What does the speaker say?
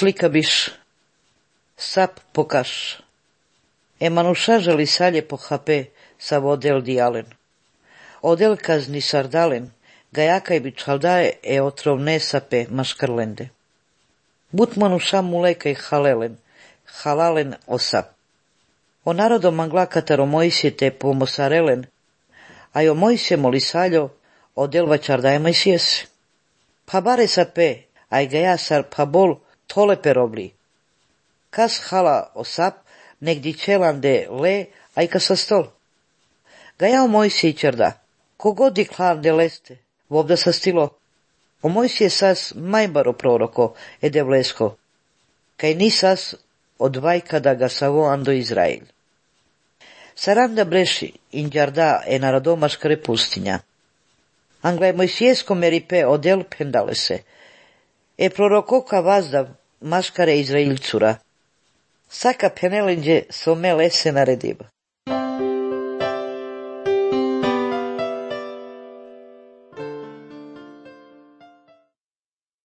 slika biš, sap pokaš. Emanuša želi salje po hape sa vodel dialen. Odel kazni sardalen, gajakaj bi čaldaje otrovne sape maškarlende. But manuša mulekaj halalen osap. O narodo mangla kataro Mojsije te pomosarelen, a jo Mojsije molisaljo odel vačardaje Mojsijese. Pa bare sape, aj gaja sar pa bol tole perobli. Kas hala osap, negdi čelande le, aj ka sa stol. Gaja o Mojsije čarda, kogodi klande leste, vobda sa stilo. O Mojsije sas majbaro proroko, ede vlesko, kaj nisas od vajkada ga savo ando Izrael. Saranda breši in đarda narodomaškare pustinja. Anglaj Mojsijesko meripe odel pendale se. Prorokoka vazdav maškare Izrailcura. Saka penelinđe some lese narediba.